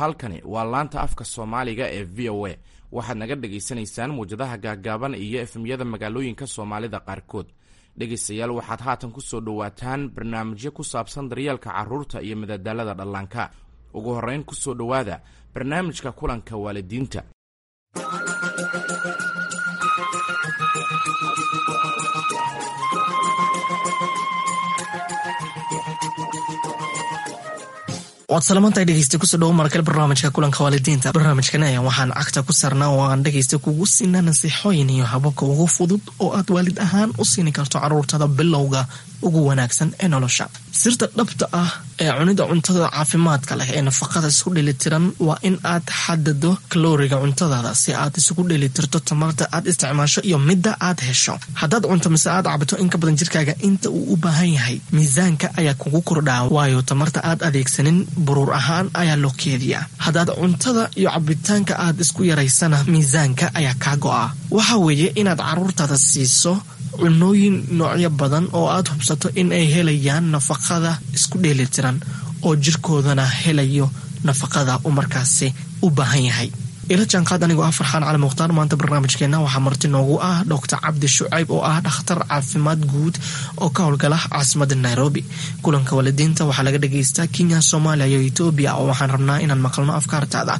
Halkani waa laanta afka Soomaaliga ee VOA. Waxaad naga dhagaysanaysaan muwjadaha gaaggaaban iyo FM-yada magaalooyinka Soomaalida qaarkood. Dhegaystayaal, waxaad haatan ku soo dhowaataan barnaamijyo ku saabsan daryeelka carruurta iyo madadaalada dhallaanka. Ugu horrayn, ku soo dhowaada barnaamijka kulanka waalidiinta. Waad salamantahay, dhegeysta. Kusoo dhawo markale barnaamijka kulanka waalidiinta. Barnaamijkan ayaan waxaan cagta ku saarnaa oo aan dhegeysta kugu siinaa nasiixooyin iyo hababka ugu fudud oo aad waalid ahaan u siini karto caruurtada bilowga ugu wanaagsan ee nolosha. Sirta dhabta ah ee cunida cuntada caafimaadka leh ee nafaqada isku dheelitiran waa in aad xadado kalooriga cuntadaada si aad isugu dheelitirto tamarta aad isticmaasho iyo midda aad hesho. Haddaad cunto mise aad cabto in ka badan jirkaaga inta uu u baahan yahay, miisaanka ayaa kugu kordhaa, waayo tamarta aad adeegsanin buruur ahaan ayaa loo keediyaa. Haddaad cuntada iyo cabitaanka aad isku yaraysana, miisaanka ayaa kaa go'a. Waxa weeye inaad caruurtaada siiso cunooyin noocyo badan oo aad hubsato in ay helayaan nafaqada isku dheelitiran oo jirkoodana helayo nafaqada uu markaasi u baahan yahay. Ila jaanqaad anigoo ah Farxaan Cali Mukhtaar. Maanta barnaamijkeena waxaa marti noogu ah Doctor Cabdi Shucayb oo ah dhakhtar caafimaad guud oo ka howlgala caasimada Nairobi. Kulanka waalidiinta waxaa laga dhagaystaa Kenya, Soomaaliya iyo Etoobiya, oo waxaan rabnaa inaan maqalno afkaartaada.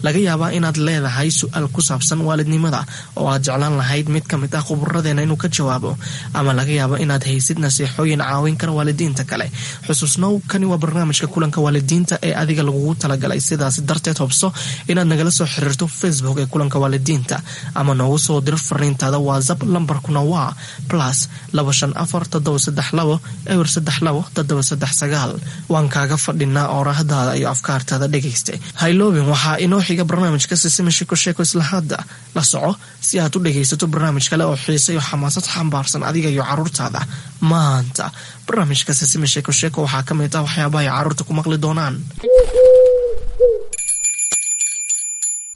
Laga yaabaa inaad leedahay su-aal ku saabsan waalidnimada oo aad jeclaan lahayd mid ka mid ah khuburadeena inuu ka jawaabo, ama laga yaabo inaad haysid nasiixooyin caawin kara waalidiinta kale. Xusuusnow, kani waa barnaamijka kulanka waalidiinta ee adiga lagugu talagalay. Sidaas darteed, hubso inaad nagala soo xiriirto Facebook ee kulanka waalidiinta ama noogu soo dir fariintaada WhatsApp. Lambarkuna waa +254 732 032 739. Waan kaaga fadhinaa oorahdaada iyo afkaartaada. Dhegaysta, hayloobin, waxaa inoo xiga barnaamijka Sisima Sheko Sheeko. Isla hadda la soco si aad u dhegaysato barnaamij kale oo xiise iyo xamaasad xambaarsan adiga iyo caruurtaada. Maanta barnaamijka Sisima Sheeko Sheeko waxaa ka mid ah waxyaabaha ay caruurta ku maqli doonaan.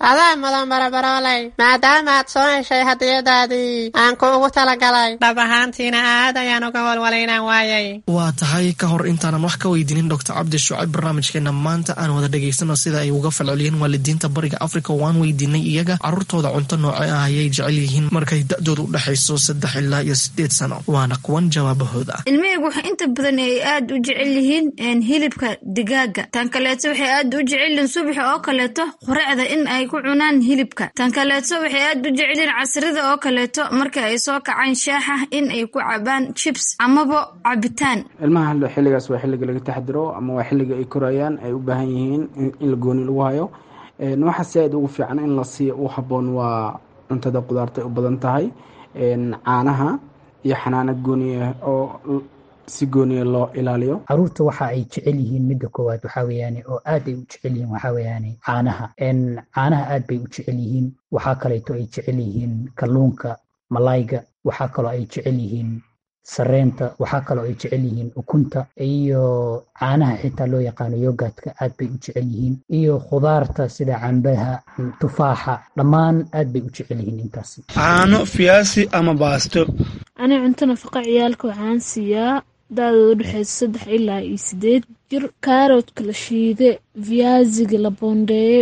Adaa mudan, barabarooley, maadaama aad soo heshay hadiyadaadii aan ku ugu talagalay. Dhab ahaantiina aad ayaan uga walwalay inaan waayay. Waa tahay. Ka hor intaanan wax ka weydiinin Doctor Cabdi Shucayb barnaamijkeena maanta, aan wada dhegaysano sida ay uga falceliyeen waalidiinta Bariga Africa. Waan weydiinay iyaga caruurtooda cunto nooce ah ayay jecel yihiin markay da-doodu u dhexayso 3 ilaa iyo 8 sano. Waana kuwan jawaabahooda. Ilmahaygu waxay inta badan ay aad u jecel yihiin hilibka digaaga. Tan kaleeto, waxay aad u jecel yihiin subaxa oo kaleeto quraacda in ay ku cunaan hilibka. Tan kaleeto, waxay aad u jecel yihiin casrida oo kaleeto marka ay soo kacaan shaaxa in ay ku cabaan chips amaba cabitaan. Ilmaha xilligaas waa xilliga laga taxdiro ama waa xilliga ay korayaan, ay u baahan yihiin in la gooni lagu hayo. Waxa si aad ugu fiican in la siiyo u habboon waa cuntada qudaarta ay u badan tahay, caanaha iyo xanaano gooniya oo si gooniya loo ilaaliyo. Caruurta waxa ay jecel yihiin, midda koowaad waxaa weeyaane oo aad ay u jecel yihiin, waxaa weeyaane caanaha. Caanaha aad bay u jecel yihiin. Waxaa kaleeto ay jecel yihiin kalluunka, malayga. Waxaa kaloo ay jecel yihiin sareenta. Waxaa kaloo ay jecel yihiin ukunta iyo caanaha xitaa loo yaqaano yogurtka, aad bay u jecel yihiin, iyo khudaarta sida cambaha, tufaaxa, dhammaan aad bay u jecel yihiin intaasi. Caano, fiyaasi ama baasto. Ani cunto nafaqa ciyaalka waxaan siiyaa da-dooda udhexeysa 3 ilaa iyo 8 jir kaaroodka la shiide, viaziga la boondeeye,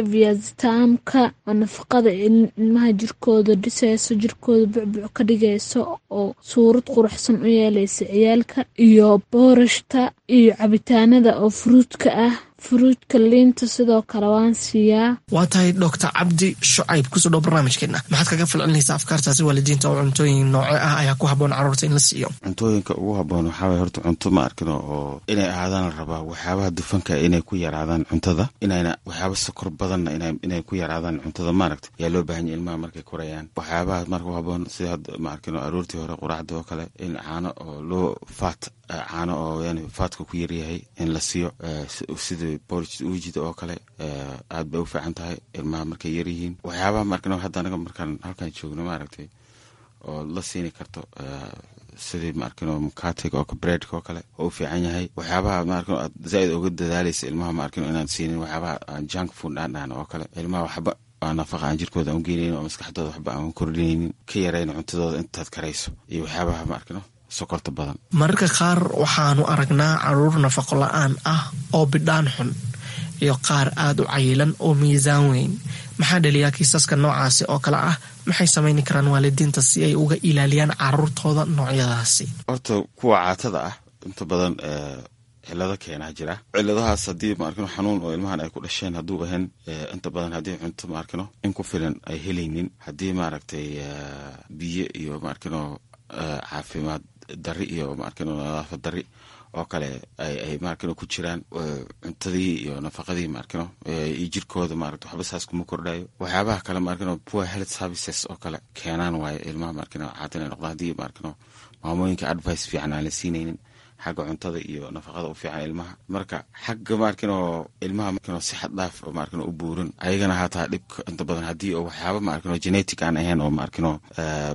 viazitaamka oo nafaqada ilmaha jirkooda dhiseyso, jirkooda bucbuc ka dhigayso oo suurad quruxsan u yeeleysa ciyaalka, iyo boorashta iyo cabitaanada oo fruitka ah, fruitka, liinta sidoo kale waan siiyaa. Waa tahay. Doctor Cabdi Shucayb, kusoo dhow barnaamijkeena. Maxaad kaga falcelinaysaa afkaartaasi waalidiinta oo cuntooyin nooce ah ayaa ku habboon carruurta in la siiyo? Cuntooyinka ugu habboon waxaa waye horta cunto, ma arkino, oo inay ahaadaan la rabaa waxyaabaha dufanka inay ku yaraadaan cuntada, inayna waxyaaba sokor badanna inay ku yaraadaan cuntada, maaragta, yaa loo baahan yahay ilmaha markay korayaan. Waxyaabaha marka u habboon sida hadda, ma arkino, aroortii hore quraacda oo kale in caano oo loo fat, caano oo yani fatka ku yaryahay in la siiyo, sida porridge uujida oo kale, aad bay u fiican tahay ilmaha markay yaryihiin. Waxyaabaha, ma arkino, hadda anaga markaan halkan joogno, maaragtay, oo la siini karto sidii, ma arkino, mukatiga oo breadka oo kale oo u fiican yahay. Waxyaabaha, ma arkino, aad zaaid uga dadaalaysa ilmaha, ma arkino, inaan siinin waxyaabaha aan junk food aan dhahno oo kale. Ilmaha waxba aan nafaqa aan jirkooda aan u geenaynin oo maskaxdooda waxba aan kordhinaynin, ka yarayna cuntadooda intaad karayso, iyo waxyaabaha, ma arkino, sokorta badan. Mararka qaar waxaanu aragnaa caruur nafaqo la-aan ah oo bidhaan xun. iyo qaar aada u cayilan oo miisaan weyn. Maxaa dhaliyaa kiisaska noocaasi oo kale ah? Maxay samayni karaan waalidiinta si ay uga ilaaliyaan caruurtooda noocyadaasi? Horta kuwa caatada ah inta badan cilado keenaa jira. Ciladahaas haddii maarkino xanuun oo ilmahan ay ku dhasheen hadduu ahayn, inta badan haddii cunto maarkino in ku filan ay helaynin, haddii maaragtay biyo iyo maarkino caafimaad dari iyo maarkino nadaafad dari oo kale ay maarkino ku jiraan cuntadii iyo nafaqadii maarkino iyo jirkooda maaragta waxba saas kuma kordhayo. Waxyaabaha kale maarkino poor health services oo kale keenaan waayo ilmaha maarkino caata inay noqdaan, haddii maarkino maamooyinka advice fiican aan la siinaynin xagga cuntada iyo nafaqada u fiican ilmaha. Marka xagga maarkino ilmaha maarkino si xad dhaaf oo maarkino u buurin ayagana hataa dhibka inta badan haddii oo waxyaaba maarkino genetic aan ahayn oo maarkino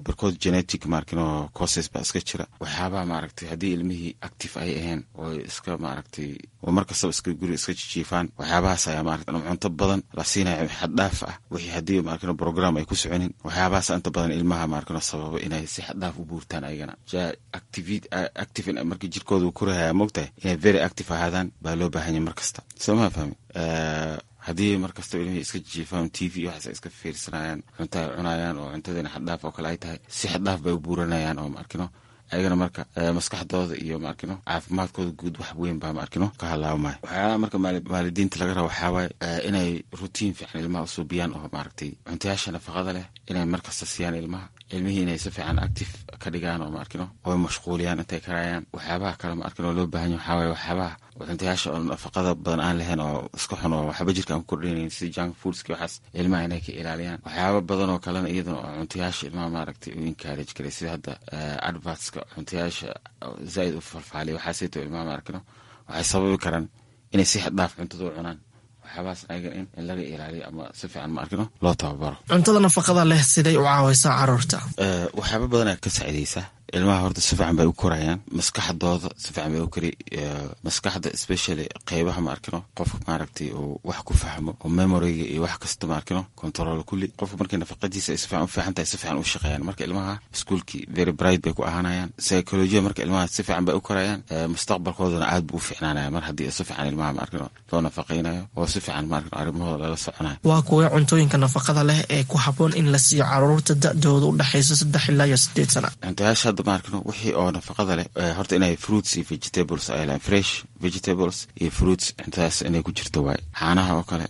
barkood genetic maarkino causes baa iska jira. Waxyaabaha maaragtay haddii ilmihii active ay ahayn oo iska maaragtay oo mar kastaba iska guri iska jijiifaan, waxyaabahaas ayaa maaragtay cunto badan la siinaya xad dhaaf ah, wixii haddii maarkino program ay ku soconin, waxyaabahaas inta badan ilmaha maarkino sababa inay si xad dhaaf u buurtaan ayagana. Active markii jirkooda uu korahaya, moogtahay inay very active ahaadaan baa loo baahan yahay mar kasta, soo ma fahmi? Haddii mar kastaba ilmihii iska jiifaan, TV iyo waxaas ay iska fiirsanayaan, cunto ay cunayaan oo cuntadiina xaddhaaf oo kale ay tahay, si xaddhaaf bay u buuranayaan oo maarkino ayagana marka maskaxdooda iyo maarkino caafimaadkooda guud wax weyn baa maarkino ka halaabamaya. Waxyaalaha marka waalidiinta laga rabo waxaa waaye inay routine fiican ilmaha usuubiyaan oo maaragtay cuntayaasha nafaqada leh inay markasta siiyaan ilmaha, ilmihii inay si fiican active ka dhigaan oo maarkino oo mashquuliyaan intay karayaan. Waxyaabaha kale maarkino loo baahan yahay waxaa waaye waxyaabaha cuntayaasha oo nafaqada badan aan lahayn oo iska xun oo waxba jirka aan ku kordhinaynin, sida junk foodski, waxaas ilmaha inay ka ilaaliyaan. Waxyaaba badan oo kalena iyadana oo cuntayaasha ilmaha maaragtay u encourage karay, sida hadda advertska cuntayaasha zaaid u falfaaliya, waxaasayto ilmaha maarkino waxay sababi karaan inay si xad dhaaf cuntada u cunaan. Waxyaabahaas ayaga in laga ilaaliyo ama si fiican maarkino loo tababaro. Cuntada nafaqada leh siday u caawaysaa caruurta? Waxyaaba badanaa ka saacidaysa ilmaha. Horta si fiican bay u korayaan, maskaxdooda si fiican bay u kori, maskaxda especially qeybaha maarkino qofka maaragtay uu wax ku fahmo oo memoryga iyo wax kasta maarkino control kulli. Qofka markii nafaqadiisa ay si fiican u fiican tahay, si fiican u shaqeeyaan. Marka ilmaha iskuulkii very bright bay ku ahaanayaan, psychology marka ilmaha si fiican bay u korayaan, mustaqbalkoodana aad buu u fiicnaanaya mar haddii si fiican ilmaha maarkino loo nafaqeynayo oo si fiican maarkino arrimahooda lala soconayo. Waa kuwee cuntooyinka nafaqada leh ee ku habboon in la siiyo caruurta da-dooda u dhexayso 3 ilaa iyo 8 sana? Cuntayaasha hadda maarkino wixii oo nafaqada leh horta inay fruits iyo vegetables ay lahayn, fresh vegetables iyo fruits, cuntadaas inay ku jirto waay. Caanaha oo kale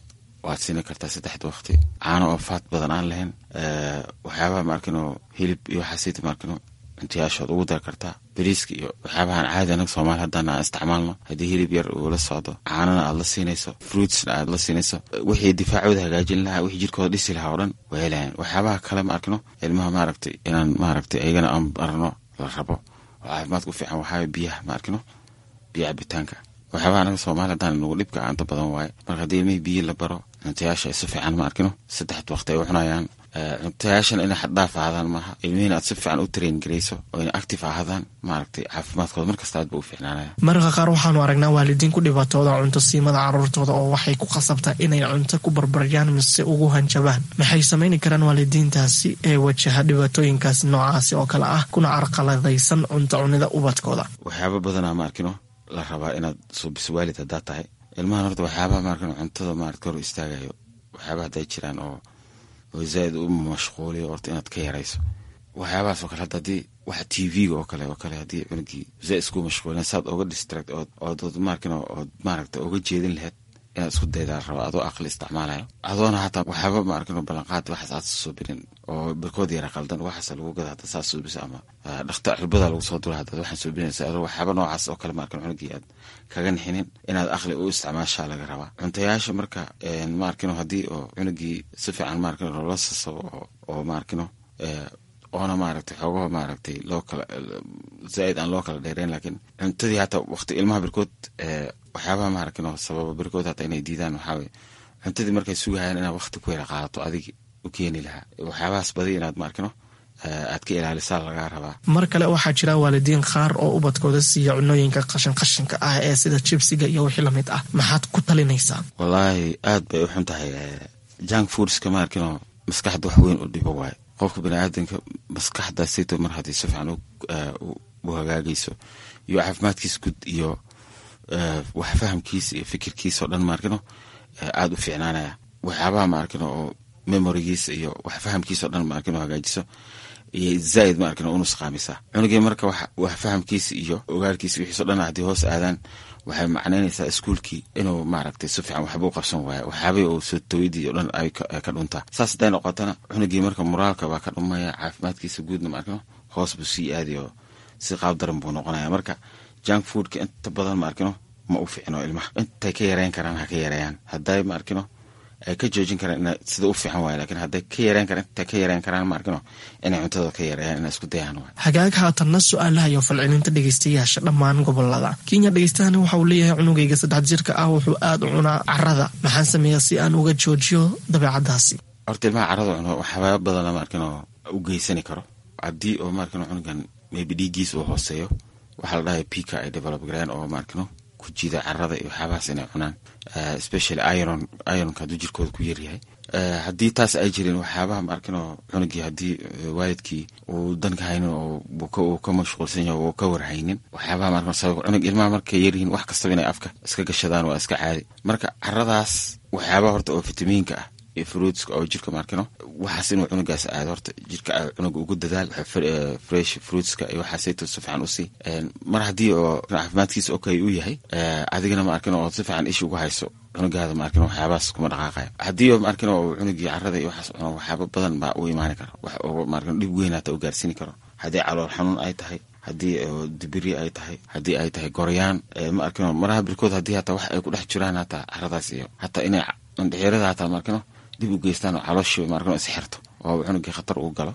waad siini kartaa saddexda waqti, caano oo fat badan aan lahayn. Waxyaabaha maarkino hilib iyo waxaasita maarkino cuntayaashood ugu dar kartaa. Bariiska iyo waxyaabahan caadi anaga Soomaali haddana aan isticmaalno, haddii hilib yar uu la socdo, caanana aad la siinayso, fruitsna aad la siinayso, wixii difaacooda hagaajin lahaa, wixii jirkooda dhisi lahaa oo dhan way helayaan. Waxyaabaha kale ma arkino ilmaha maaragtay inaan maaragtay ayagana aan barno la rabo oo caafimaadka u fiican waxaa biyaha ma arkino, biyo cabitaanka. Waxyaabaha anaga Soomaali haddaan nagu dhibka inta badan waaye. Marka haddii ilmihii biyo la baro, cuntayaasha ay si fiican ma arkino saddexda waqti ay u cunayaan, cuntayaashan inay xaddhaaf ahaadaan maaha, ilmihiina aad si fiican u train garayso oo inay active ahaadaan, maaragtay caafimaadkooda markasta aad ba u fiicnaanaya. Mararka qaar waxaanu aragnaa waalidiin ku dhibaatooda cunto siimada caruurtooda oo waxay ku khasabtaa inay cunto ku barbaryaan mise ugu hanjabaan. Maxay samayni karaan waalidiintaasi ee wajaha dhibaatooyinkaas noocaasi oo kale ah kuna carqaladaysan cunto cunida ubadkooda? Waxyaaba badanaa ma arkino la rabaa inaad suubiso waalid haddaad tahay ilmahan. Horta waxyaabaha maarkino cuntada maarata hor istaagayo, waxyaabaha hadday jiraan oo zaaid u mashquuliyo, horta inaad ka yarayso waxyaabahaas oo kale. Hadda haddii waxa TV-ga oo kale haddii cunugii zaaid isku mashquulin, saad oga distract ood maarkino ood maaragta oga jeedin lahayd inaad isku daydaa la rabaa, adoo aqli isticmaalayo, adoona hataa waxyaaba maarkino ballanqaad waxaas aad suubinin oo barkood yara qaldan waxaas lagu gada hadda saas suubisa ama dhakta cirbada lagu soo dura haddaad waxaan suubinaysa, adoo waxyaaba noocaas oo kale maarkino cunugii aad kaga nixinin, inaad aqli u isticmaashaa laga rabaa cuntayaasha. Marka maarkino haddii oo cunugii si fiican maarkino loola sasabo oo maarkino oona maaragtay xoogaho maaragtay loo kala zaaid aan loo kala dheereyn, laakiin cuntadii hataa waqti ilmaha barkood waxyaabaha maaragtay sababa barkood hataa inay diidaan waxaa waye cuntadii markay sugahayaan inaad waqti ku yara qaadato adig u keeni lahaa. Waxyaabahaas badi inaad maarkino aad ka ilaalisaa lagaa rabaa. Mar kale waxaa jira waalidiin qaar oo ubadkooda siiya cunooyinka qashin qashinka ah ee sida jibsiga iyo wixii lamid ah. Maxaad ku talinaysaa? Wallaahi aad bay u xun tahay junk foodska maarkino, maskaxda wax weyn u dhibo waaye. Qofka baniaadanka maskaxda sito mar haddii si fiican u hagaagayso iyo caafimaadkiisa guud iyo wax fahamkiisa iyo fikirkiisa oo dhan maarkino Aada u fiicnaanaya waxyaabaha ma arkin oo memorigiisa iyo wax fahamkiisa o dhan ma arkin oo hagaajiso iyo zaaid ma arkin oo unusqaamisa cunugii. Marka wax fahamkiisa iyo ogaalkiisa wixiiso dhan haddii hoos aadaan, waxay macnaynaysaa iskuulkii inuu maaragtay si fiican waxba u qabsan waayo, waxyaabihii uu soo tawidii o dhan ay ka dhuntaa. Saas hadday noqotana, cunugii marka moraalka baa ka dhumaya, caafimaadkiisa guudna ma arkino hoos buu sii aadi oo si qaab daran buu noqonaya. Marka junk foodka inta badan ma arkino ma u fiicno ilmaha. Intay ka yareyn karaan ha ka yareeyaan. Hadday ma arkino ay ka joojin karaan ina sida u fiican waay, lakin hadday ka yareyn karaan, intay ka yareyn karaan ma arkino inay cuntada ka yareeyaan, inay isku dayaan waay. Hagaag, haatanna su-aalaha iyo falcelinta dhegeystayaasha dhammaan gobolada Kenya. Dhegeystahani waxa uu leeyahay: cunugayga 3 jirka ah wuxuu aada u cunaa carada, maxaan sameeyaa si aan uga joojiyo dabeecadaasi? Horta ilmaha carada cuno waxyaaba badan ma arkino u geysani karo. Haddii oo ma arkino cunugan maybe dhiiggiis uu hooseeyo, waxaa la dhahay pica ay develop gareyn oo ma arkino ku jiida carada iyo waxyaabahaas inay cunaan, especially iron. Ironka hadduu jirkooda ku yaryahay, haddii taas ay jirin, waxyaabaha ma arkino cunugii haddii waalidkii uu danka haynin oo uu ka mashquulsan yahay oo ka warhaynin waxyaabaha ma arkino sabab cunug. Ilmaha markay yaryihiin wax kastaba inay afka iska gashadaan waa iska caadi. Marka caradaas waxyaabaha horta oo fitamiinka ah iyo fruitska oo jirka maarkino waxaas inuu cunugaas aado, horta jirka cunuga ugu dadaal fresh fruitska iyo waxaasayto si fiican usii. Mar haddii oo caafimaadkiisa okay uu yahay, adigana ma arkin oo si fiican isha ugu hayso cunugaada, ma arkin waxyaabahaas kuma dhaqaaqayo. Haddii oo ma arkin oo cunugii carada iyo waxaas cuno, waxyaaba badan baa u imaani kara, wax oo ma arkin dhib weyn hata u gaarsiini karo. Haddii calool xanuun ay tahay, haddii dibiri ay tahay, haddii ay tahay goryaan, ma arkino maraha birkood haddii hataa wax ay ku dhex jiraan hataa caradaas iyo hataa inay indhexirada hataa ma arkino dib u geystaan oo calooshii ma arkino isxirto oo cunugii khatar uu galo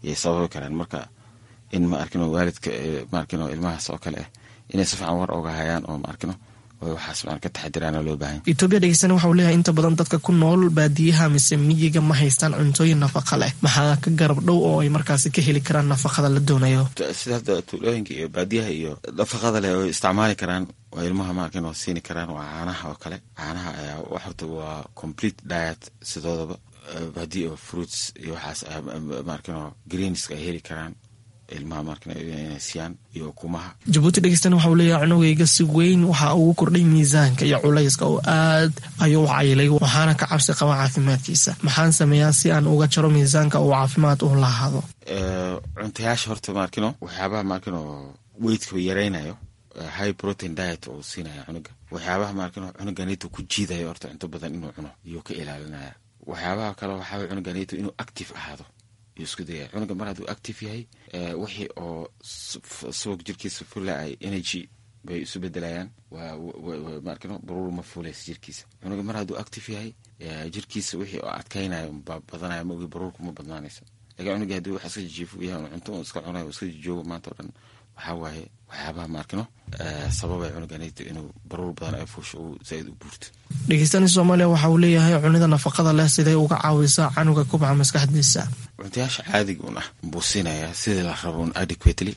yay sababi karaan. Marka in ma arkino waalidka ma arkino ilmahaas oo kale ah inay si fiican war oga hayaan oo ma arkino waxaas maan ka taxadiraana loo baahan. Etoobiya dhegeystana waxa uu leeyahay: inta badan dadka ku nool baadiyaha mise miyiga ma haystaan cuntooyin nafaqa leh, maxaa ka garab dhow oo ay markaasi ka heli karaan nafaqada la doonayo? Sida hadda tuulooyinka iyo baadiyaha iyo nafaqada leh oo isticmaali karaan oo ilmaha ma arkin oo siini karaan waa caanaha oo kale. Caanaha ayaa horta waa complete diet sidoodaba. Haddii oo fruits iyo waxaas ma arkin oo greenska ay heli karaan ilmaha markan inay siiyaan iyo ukumaha. Jabuuti dhegeystana waxa uu leeyahay: cunugayga si weyn waxa ugu kordhay miisaanka iyo culayska oo aad ayuu u cayilay, waxaana ka cabsi qaba caafimaadkiisa. Maxaan sameeyaa si aan uga jaro miisaanka uu caafimaad u lahaado? Cuntayaasha horta maarkino waxyaabaha maarkino weightka yaraynayo, high protein diet oo siinaya cunuga. Waxyaabaha maarkino cunuganito ku jiidayo horta cunto badan inuu cuno iyuu ka ilaalinaya. Waxyaabaha kale waxaa cunuganito inuu active ahaado yuu isku dayaya. Cunuga mar hadduu active yahay, wixii oo subag jirkiisa fula ay energy bay isu bedelayaan, waa maarkino baruur ma fuulaysa jirkiisa. Cunuga mar hadduu active yahay, jirkiisa wixii oo adkaynayo baa badanaya, ma ogi baruurku ma badnaanayso. Lakin cunugii haddii wax iska jijiifo yahay, cunto un iska cunayo, iska jijoogo maanta o dhan, waxaa waaye waxyaabaha maarkino sababay cunuganito inuu baruur badan ay fuusho uu zaaid u buurto. Dhegeystani Soomaaliya waxa uu leeyahay: cunida nafaqada leh siday uga caawisaa canuga kubca maskaxdiisa? Cuntayaasha caadiga un ah buu siinayaa sidii la rabo un adequately,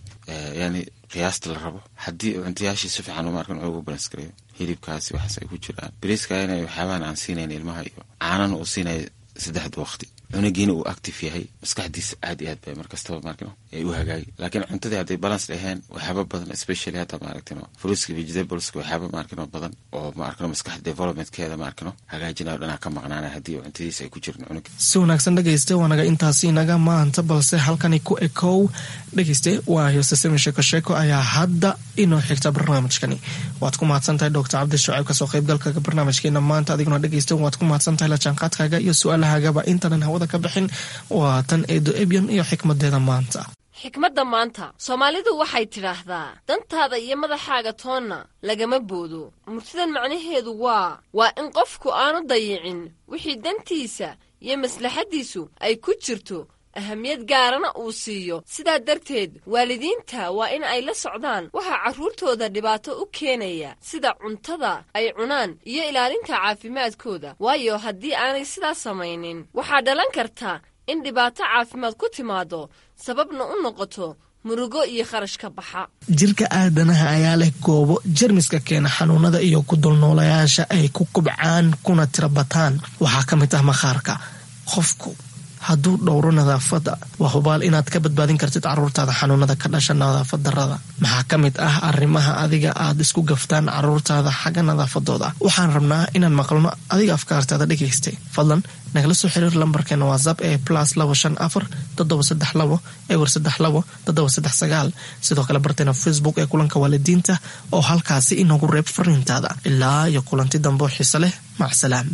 yani qiyaasta la rabo. Haddii cuntayaashii si fiican maarkan ugu balance gareeyo, hilibkaasi waxaas ay ku jiraan, bariiska inay waxyaabahan aan siinayn ilmaha iyo caanana uu siinayo saddexda waqti, cunugiina uu active yahay, maskaxdiisa aad iyo aad bay markastaba maarkino ay u hagaagi. Laakiin cuntadii hadday balance dhaheen, waxyaaba badan, especially hadda maaragtino fruitska, vegetables-ka, waxyaaba maarkino badan oo maarkino maskaxda developmentkeeda maarkino hagaajinayo dhanaa ka maqnaanaya haddii cuntadiisa ay ku jirin cunuga. Si wanaagsan dhegeyste, waanaga intaasi inaga maanta, balse halkani ku ekow dhegeyste. Waa heesasami sheeko sheeko ayaa hadda inoo xigta barnaamijkani. Waad ku mahadsan tahay Doctor Cabdi Shucayb kasoo qaybgalka barnaamijkeena maanta. Adiguna dhegeyste waad ku mahadsan tahay la jaanqaadkaaga iyo su-aalahaagaba. Intaanan hawada ka bixin, waa tan Eedo Ebyan iyo xikmadeeda maanta. Xikmadda maanta, Soomaalidu waxay tidhaahdaa: dantaada iyo madaxaaga toonna lagama boodo. Murtidan macnaheedu waa in qofku aanu dayicin wixii dantiisa iyo maslaxaddiisu ay ku jirto, ahamiyad gaarana uu siiyo. Sidaa darteed waalidiinta waa in ay la socdaan waxaa carruurtooda dhibaato u keenaya, sida cuntada ay cunaan iyo ilaalinta caafimaadkooda, waayo haddii aanay sidaas samaynin waxaa dhalan karta in dhibaato caafimaad ku timaado, sababna u noqoto murugo iyo kharash ka baxa. Jirka aadanaha ayaa leh goobo jermiska keena xanuunada iyo ku dulnoolayaasha ay ku kubcaan kuna tirabataan. Waxaa ka mid ah maqaarka. Qofku hadduu dhowro nadaafadda, waa hubaal inaad ka badbaadin kartid caruurtaada xanuunada ka dhasha nadaafad darrada. Maxaa ka mid ah arrimaha adiga aad isku gaftaan caruurtaada xagga nadaafadooda? Waxaan rabnaa inaan maqalno adiga afkaartaada dhegaystay. Fadlan nagala soo xiriir lambarkeena WhatsApp ee +254 732 032 739. Sidoo kale barteena Facebook ee Kulanka Waalidiinta oo halkaasi inoogu reeb fariintaada. Ilaa iyo kulanti dambo xiise leh, macsalaam.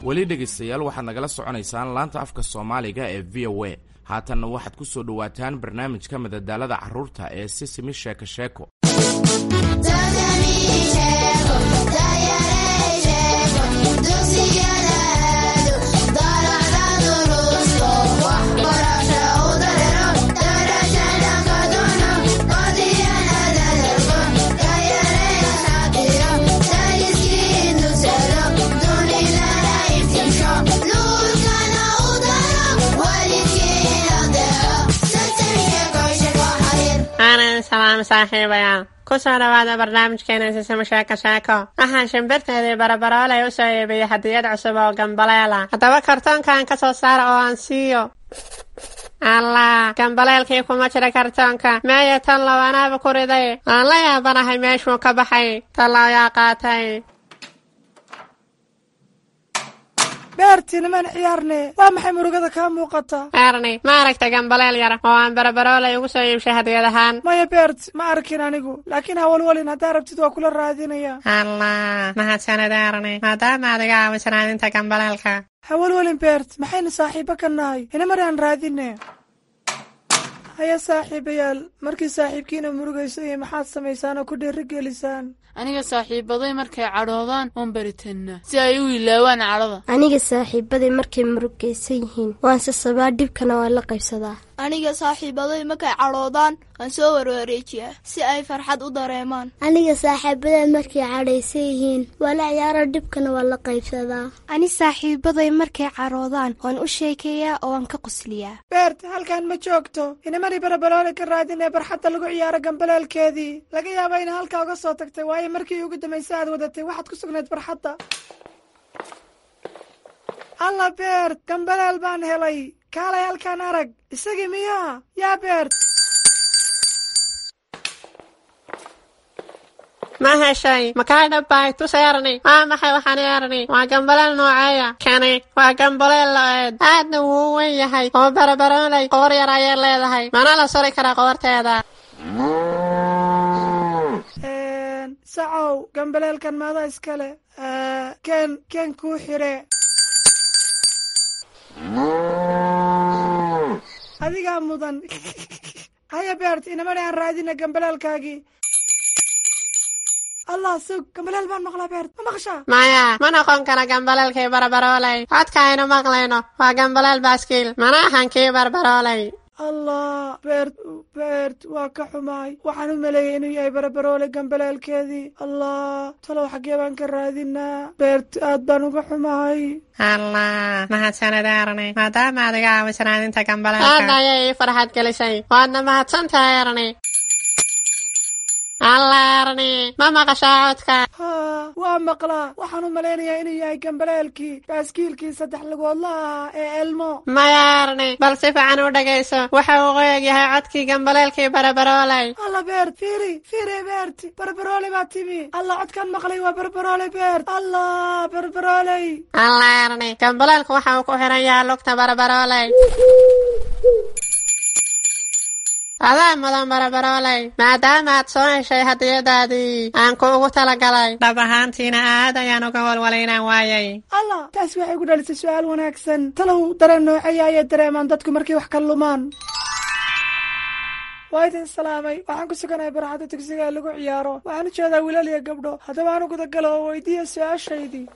Weli dhegaystayaal, waxaad nagala soconaysaan laanta afka Soomaaliga ee VOA. Haatanna waxaad ku soo dhowaataan barnaamijka madadaalada carruurta ee Sisimi Sheeko Sheeko. Salaam saaxiibayaal, ku soo dhawaada barnaamijkeena Sisimo Sheeko Sheeko. Waxaan shimbirteedii Barabarooley u soo iibiyey hadiyad cusub oo gambaleela. Haddaba kartoonkan ka soo saara oo aan siiyo. Allah, gambaleelkii kuma jira kartoonka. Meeya tan lawanaaba ku riday? Aan la yaabanahay meeshuu ka baxay. Tallow yaa qaatay? Beerti, nimaan ciyaarne. Waa maxay murugada kaa muuqata? Erni, ma aragta gambaleel yar oo aan Barabarooley ugu soo iibshay hadiyad ahaan? Maya Beert, ma arkin anigu, laakiin hawalwalin, haddaa rabtid waa kula raadinaya. Allah, mahadsanid Erni, maadaama aad iga caawiso raadinta gambaleelka. Hawalwalin Beert, maxaynu saaxiibo ka nahay? Inamar aan raadine. Haya saaxiibayaal, markii saaxiibkiina murugayso iyo maxaad samaysaan oo ku dhiirigelisaan? Aniga saaxiibaday markay cadhoodaan waan baritannaa si ay u ilaawaan cadhada. Aniga saaxiibaday markay murugaysan yihiin waan sasabaa, dhibkana waan la qaybsadaa. Aniga saaxiibaday markay cadhoodaan waan soo warwareejiyaa si ay farxad u dareemaan. Aniga saaxiibaday markay cadhaysan yihiin waa la ciyaaro, dhibkana waan la qaybsadaa. Ani saaxiibaday markay cadhoodaan waan u sheekeeyaa oo waan ka qosliyaa. Beert, halkan ma joogto. Inamani Barabaroole ka raadinee barxadda lagu ciyaaro gambaleelkeedii. Laga yaaba ina halkaa uga soo tagtay, waayo markii ugu dambaysa aad wadatay waxaad ku sugnayd barxadda. Alla Beert, gambaleel baan helay. Kaalay halkaan arag. Isagii miyaa? Yaa Beert? Ma heshay? Makaa dhabbahay? Tus Erni. Waa maxay waxaan Erni? Waa gambaleel nooceeya? Kani waa gambaleel lo-eed, aadna wuu u weyn yahay oo Barabarooley qoor yar ayay leedahay, mana la suri karaa qoorteeda. Sacow, gambaleelkan maada iskale? Ken ken kuu xire. Adigaa mudan. Haya Beert, inamani aan raadina gambaleelkaagii. Allah, sug, gambaleel baan maqlaa. Beert, ma maqashaa? Maya, ma noqon kara gambaleelkii Barabarooley. Codka aynu maqlayno waa gambaleel baaskiil, mana ahan kii Barbarooley. Allah Beert, Beert, waa ka xumaay. Waxaan u maleeyey inuu yahay Barabaroole gambaleelkeedii. Allah, talow xaggee baan ka raadinaa? Beert, aad baan uga xumahay. Allah, mahadsanid Erni, maadaama aad iga caawiso raadinta gambaleelka. Aad ayay ii farxad gelisay, waadna mahadsan tahay Erni. Allah Erni, ma maqashaa codka? Haa, waa maqlaa. Waxaan u malaynayaa inuu yahay gambaleelkii baaskiilkii saddex lugoodla ahaa ee Elmo. Maya Erni, bal si fiican u dhegayso. Waxa uu qoyag yahay codkii gambaleelkii Barabarooley. Alla Beert, fiiri fiiri. Beert, Barbarooley baa timi. Alla, codkaan maqlay waa Barbarooley. Beert, allah, Barbarooley. Allah Erni, gambaleelku waxa uu ku xiran yahay lugta Barabarooley. Adaa mudan Barabarooley, maadaama aad soo heshay hadiyadaadii aan kuugu talagalay. Dhab ahaantiina aad ayaan uga walwalay inaan waayay. Allah, taasi waxay ku dhalisay su-aal wanaagsan. Talow dareen nooceeya ayay dareemaan dadku markay wax ka lumaan? Waa idin salaamay. Waxaan ku suganahay barxadda dugsiga ee lagu ciyaaro. Waxaan u jeedaa wiilal iyo gabdho. Haddaba aan u gudagalo oo weydiiya su-aashaydii.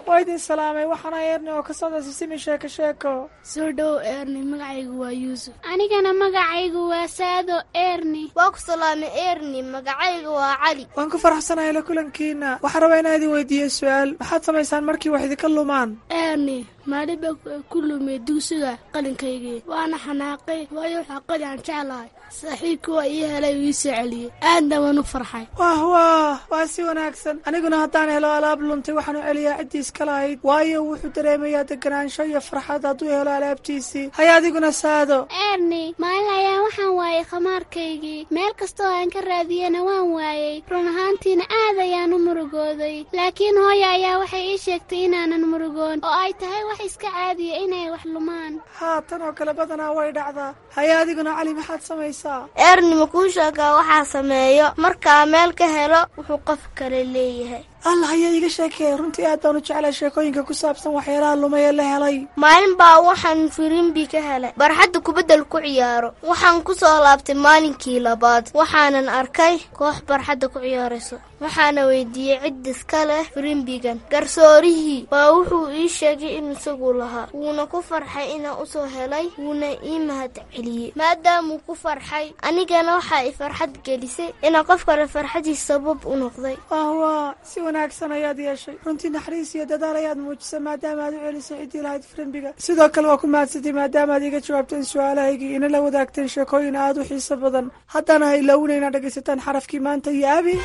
Waa idin salaamay. Waxaana Eerni oo ka socda Sisimi Sheeko Sheeko. Soo dhow Eerni, magacaygu waa Yuusuf. Anigana magacaygu waa Saado Eerni. Waa ku salaamay Eerni, magacaygu waa Cali. Waan ku faraxsanahay la kulankiina. Waxaan rabaa inaan idin weydiiyo su-aal. Maxaad samaysaan markii wax idinka lumaan? Eerni, maalin baa ku lumay dugsiga qalinkaygii, waana xanaaqay, waayo waxaa qalin aan jeclahay. Saaxiibkii waa ii helay uu ii soo celiyey, aadna waan u farxay. Wah wah, waa si wanaagsan. Aniguna haddaan helo alaab luntay, waxaan u celiyaa ciddii iska lahayd, waayo wuxuu dareemayaa deganaansho iyo farxad hadduu helo alaabtiisii. Haya, adiguna Saado. Eerni, maalin ayaa waxaan waayay khamaarkaygii. Meel kastoo aan ka raadiyena waan waayey. Run ahaantiina aad ayaan u murugooday, laakiin hooya ayaa waxay ii sheegtay inaanan murugoon oo ay tahay wax iska caadiya inay wax lumaan. Haa, tan oo kale badanaa way dhacdaa. Haya, adiguna Cali, maxaad samaysaa? Eerni, ma kuu sheegaa waxaa sameeyo markaa meel ka helo wuxuu qof kale leeyahay? Allah, ayaa iiga sheekeeyay. Runtii aad baan u jeclay sheekooyinka ku saabsan waxyaalaha lumay ee la helay. Maalin baa waxaan firimbi ka helay barxadda kubaddal ku ciyaaro. Waxaan ku soo laabtay maalinkii labaad, waxaanan arkay koox barxadda ku ciyaarayso. Waxaana weydiiyey cid iska leh firimbigan. Garsoorihii baa wuxuu ii sheegay in isagu lahaa, wuuna ku farxay inaan usoo helay, wuuna ii mahad celiyey. Maadaamuu ku farxay, anigana waxaa i farxad gelisay inaan qof kale farxadiis sabab u noqday. Wah, si wanaagsan ayaad yeeshay. Runtii naxariis iyo dadaal ayaad muujisay maadaama aad u celisay ciddii lahayd firimbiga. Sidoo kale waa ku mahadsatay maadaama aad iiga jawaabteen su-aalahaygii, ina la wadaagteen sheekooyin aad u xiiso badan. Haddana ha ilaawina inaad dhegaysataan xarafkii maanta iyo Abi.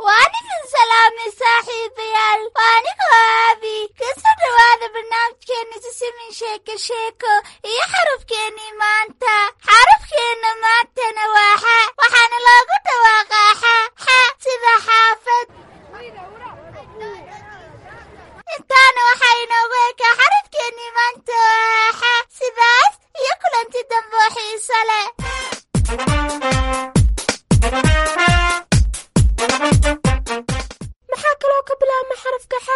Waan idin salaamay saaxiibayaal, waa anigoo Aabi. Kasoo dhowaada barnaamijkeenna Sisimin Sheeko Sheeko iyo xarafkeennii maanta. Xarafkeenna maantana waa xa, waxaana loogu dhawaaqaa xa xa, sida xaafad. Intaana waxaa inoogu ekaa xarafkeennii maanta oo xa. Sidaas iyo kulanti dambe oo xiiso leh. Maxaa kaloo ka bilaabma xarafka xa?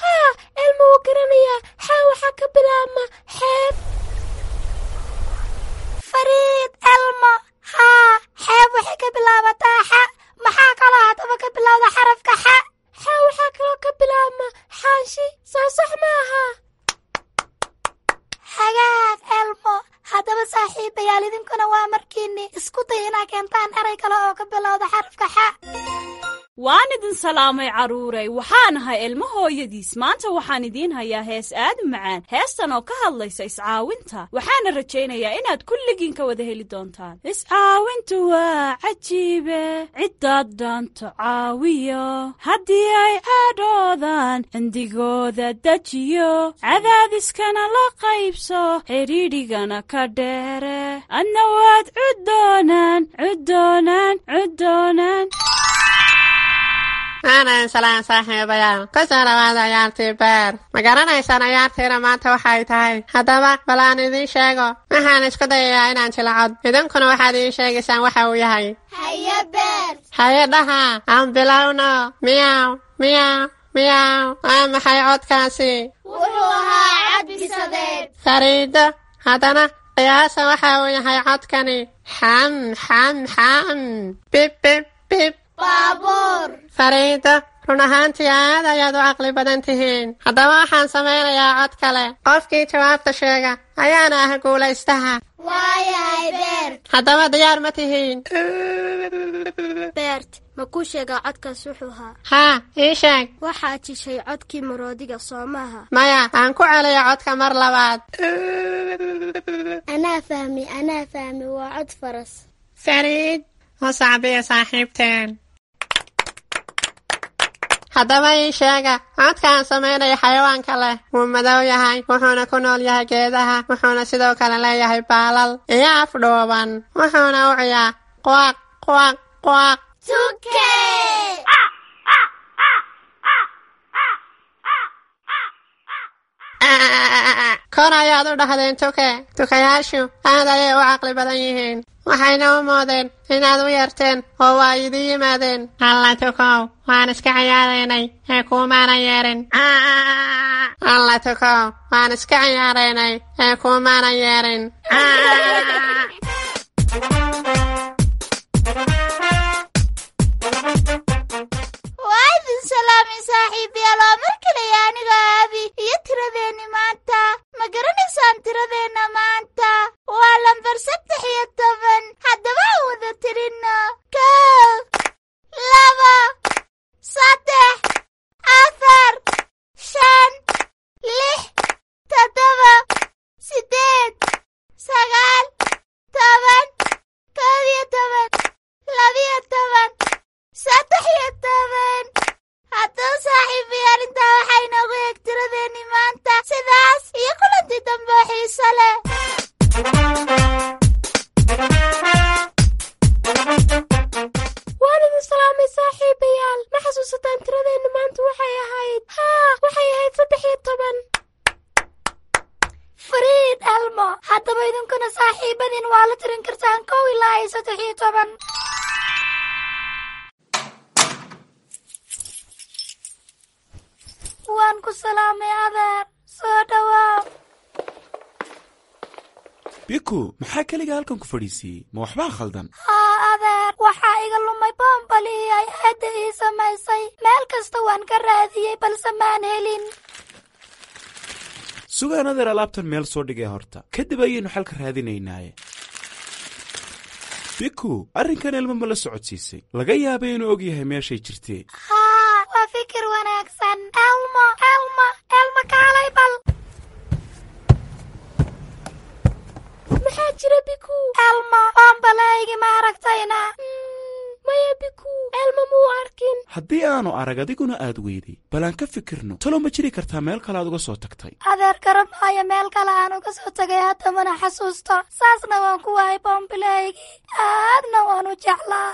Haa, Elma wuu garanayaa. Xa waxaa ka bilaabma xeeb. Fariid Elmo, haa, xeeb waxay ka bilaabataa xa. Maxaa kaloo haddaba ka bilowda xarafka xa? Xa waxaa kaloo ka bilaabma xaanshi, soo sax maaha? Hagaag Elmo. Haddaba saaxiibayaal, idinkuna waa markiinni isku day inaa keentaan eray kale oo ka bilowda xarafka xa. Waan idin salaamay carruuray. Waxaan ahay Ilmo hooyadiis. Maanta waxaan idiin hayaa hees aad u macaan, heestan oo ka hadlaysa iscaawinta. Waxaana rajaynayaa inaad kulligiin ka wada heli doontaan. Iscaawintu waa cajiibe, ciddaad dhaanto caawiyo, haddii ay cadhoodaan cindigooda dejiyo, cadaadiskana la qaybso, xidhiidhigana ka dheere, adna waad cuddoonaan cuddoonaan cuddoonaan. Aanan salaan saaxiibayaal, kusoo dhawaada ciyaartii beer. Ma garanaysaan ciyaartiina maanta waxay tahay? Haddaba bal aan idiin sheego. Waxaan isku dayayaa inaan jilacod, idinkuna waxaad ii sheegaysaan waxa uu yahay. Haye Beer. Haye dhaha, aan bilowno. Miyaw miyaw miyaw, waa maxay codkaasi? Wuxuu ahaa cadbisadeed. Fariido, haddana qiyaasa waxa uu yahay codkani. Xam xam xam, bib bib bib. Baabuur. Fariido, run ahaantii aad ayaad u caqli badan tihiin. Haddaba waxaan samaynayaa cod kale. Qofkii jawaabta sheega ayaana ah guulaystaha. Waayahay Beert. Haddaba diyaar ma tihiin? Beert, ma kuu sheegaa codkaas wuxuu ahaa? Haa, ii sheeg. Waxaad jishay codkii maroodiga, soo maaha? Maya, aan ku celiyo codka mar labaad. Anaa fahmi, anaa fahmi, waa cod faras. Fariid, u sacbiya saaxiibteen. Haddaba ii sheega codka aan samaynayo xayawaanka leh. Wuu madow yahay, wuxuuna ku nool yahay geedaha, wuxuuna sidoo kale leeyahay baalal iyo af dhuuban, wuxuuna u ciyaa quaq quaq quaq. Tuke. Kor ayaad u dhahdeen tuke. Tukayaashu aad ayay u caqli badan yihiin, waxayna u moodeen inaad u yeerteen oo waa idin yimaadeen. Alla tukow, waan iska ciyaaraynay ee kuumaana yeerin. Alla tukow, waan iska ciyaaraynay ee kuumaana yeerin. Waa idin salaamay saaxiibayaal, waa mar kaleya aniga Aabi iyo tiradeenni maanta. Ma garanaysaan tiradeenna maanta? Waa lambar 13. Haddaba aan wada tirinno: 1, 2, 3, 4, 5, 6, 7, 8, 9, 10, 11, 12, 13. Haddaba saaxiibayaal, intaa waxaa inoogu eeg tiradeenni maanta. Sidaas iyo kulantii dambe oo xiiso leh. Waan idin salaamay saaxiibayaal. Ma xasuusataan tiradeenna maanta waxay ahayd? Haa, waxay ahayd 13. Fariid Elmo, haddaba idinkuna saaxiibadiin waa la tirin kartaan 1 ilaa iyo 13. Waan ku salaamay adeer, soo dhowaaw. Biku, maxaa keliga halkan ku fadhiisiiyey? Ma waxbaa khaldan? Haa adeer, waxaa iga lumay boombalihii ay aadda ii samaysay. Meel kasta waan ka raadiyey balse maan helin. Sugaan adeer, alaabtan meel soo dhigay horta, kadib ayaynu xalka raadinaynaaye. Biku, arrinkan Elmo ma la socodsiisay? Laga yaabay inuu og yahay meeshay jirtee. Haa, waa fikir wanaagsan. Elmo, Elmo, Elmo, kaalay bal. Maxaa jira, Biku? Elmo, boombalahaygi ma aragtayna? Maya Biku, Elmo muu arkin. Haddii aanu arag adiguna aad weyday, bal aan ka fikirno. Talow ma jiri kartaa meel kale aad uga soo tagtay? Adeer, garan maayo meel kale aan uga soo tagay, haddamana xasuusto. Saasna waan ku waayay boombilahaygii, aadna waan u jeclaa.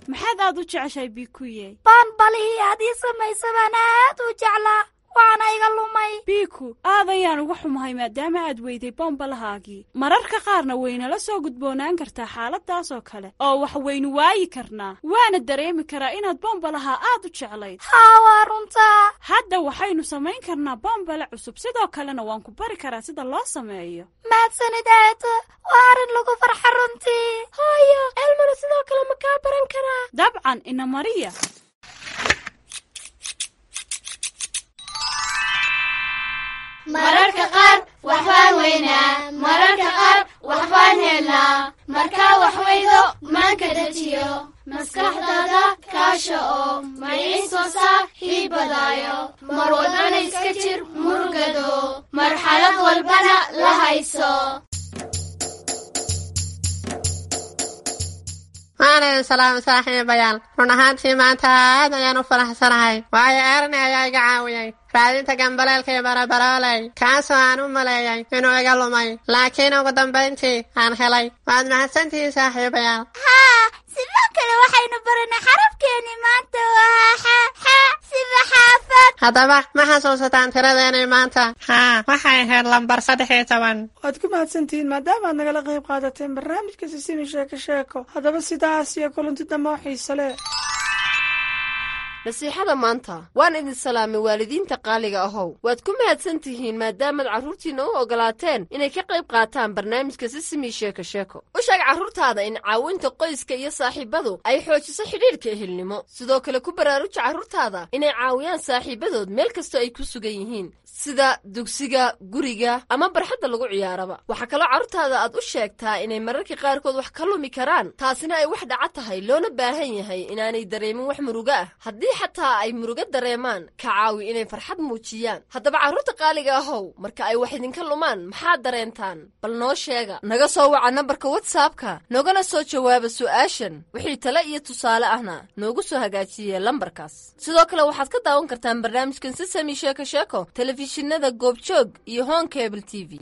Maxaad aad u jeceshahay, Bikuye? Boonbalihii aad ii samaysa baan aad u jeclaa, waana iga lumay. Biku, aad ayaan uga xumahay maadaama aad weyday boombalahaagii. Mararka qaarna waynala soo gudboonaan kartaa xaaladaas oo kale oo wax waynu waayi karnaa, waana dareemi karaa inaad boombalaha aad u jeclayd. Haa, waa runtaa. Hadda waxaynu samayn karnaa boombale cusub, sidoo kalena waan ku bari karaa sida loo sameeyo. Mahadsanid aado, waa arrin lagu farxa runtii. Hooyo, Elmona sidoo kale ma kaa baran karaa? Dabcan, ina mariya. Mararka qaar waxbaan weynaa, mararka qaar waxbaan helnaa. Markaa wax weydo maanka dejiyo, maskaxdaada kaasha oo maciiso saaxiibadaayo. Mar walbana iska jir murugado, marxalad walbana la hayso. Waan idin salaamay saaxiibayaal. Run ahaantii maanta aad ayaan u faraxsanahay, waayo Erni ayaa iga caawiyey raadinta gambaleelkii barabarooley, kaasoo aan u maleeyay inuu iga lumay, laakiin ugu dambayntii aan helay. Waad mahadsantihiin saaxiibayaal. Haa, sidoo kale waxaynu baranay xarafkeeni maanta waa xa, xa sida xaafad. Haddaba ma xasuusataan tiradeenii maanta? Haa, waxay ahayd lambar 13. Waad ku mahadsantihiin maadaama aad nagala qayb qaadateen barnaamijka Sisimi Sheeko Sheeko. Haddaba sidaas iyo kulanti dambe oo xiise leh. Nasiixada maanta. Waan idin salaamay waalidiinta qaaliga ahow. Waad ku mahadsan tihiin maadaamaad carruurtiinna u ogolaateen inay ka qayb qaataan barnaamijka Sisimi Sheeko Sheeko. U sheeg carruurtaada in caawinta qoyska iyo saaxiibadu ay xoojiso xidhiidhka ehelnimo. Sidoo kale ku baraaruja carruurtaada inay caawiyaan saaxiibadood meel kastoo ay ku sugan yihiin, sida dugsiga, guriga ama barxadda lagu ciyaaraba. Waxaa kaloo carruurtaada aad u sheegtaa inay mararka qaarkood wax ka lumi karaan, taasina ay wax dhaca tahay, loona baahan yahay inaanay dareemin wax murugo ah. Haddii xataa ay murugo dareemaan, ka caawi inay farxad muujiyaan. Haddaba carruurta qaaliga ahow, marka ay wax idinka lumaan maxaad dareentaan? Bal noo sheega. Naga soo waca nambarka WhatsAppka, noogana soo jawaaba su'aashan. Wixii tale iyo tusaale ahna noogu soo hagaajiye lambarkaas. Sidoo kale waxaad ka daawan kartaan barnaamijkan Sisami Sheeko Sheeko telefishinada Goobjoog iyo Hon Cable TV.